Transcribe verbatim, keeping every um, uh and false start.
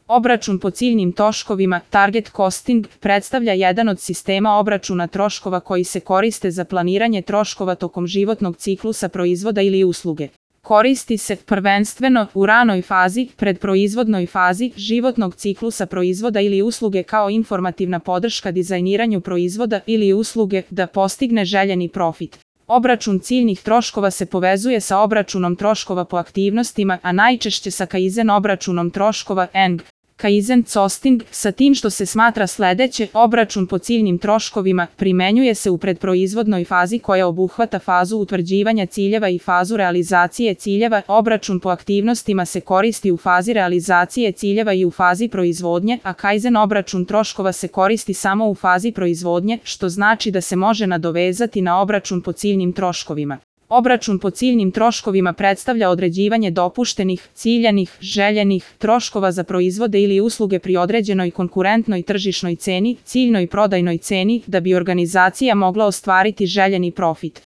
Obračun po ciljnim troškovima, target costing, predstavlja jedan od sistema obračuna troškova koji se koriste za planiranje troškova tokom životnog ciklusa proizvoda ili usluge. Koristi se prvenstveno u ranoj fazi, predproizvodnoj fazi životnog ciklusa proizvoda ili usluge kao informativna podrška dizajniranju proizvoda ili usluge da postigne željeni profit. Obračun ciljnih troškova se povezuje sa obračunom troškova po aktivnostima, a najčešće sa Kaizen obračunom troškova N G. Kaizen costing, sa tim što se smatra sledeće, obračun po ciljnim troškovima, primenjuje se u predproizvodnoj fazi koja obuhvata fazu utvrđivanja ciljeva i fazu realizacije ciljeva. Obračun po aktivnostima se koristi u fazi realizacije ciljeva i u fazi proizvodnje, a Kaizen obračun troškova se koristi samo u fazi proizvodnje, što znači da se može nadovezati na obračun po ciljnim troškovima. Obračun po ciljnim troškovima predstavlja određivanje dopuštenih, ciljanih, željenih troškova za proizvode ili usluge pri određenoj konkurentnoj tržišnoj ceni, ciljnoj prodajnoj ceni, da bi organizacija mogla ostvariti željeni profit.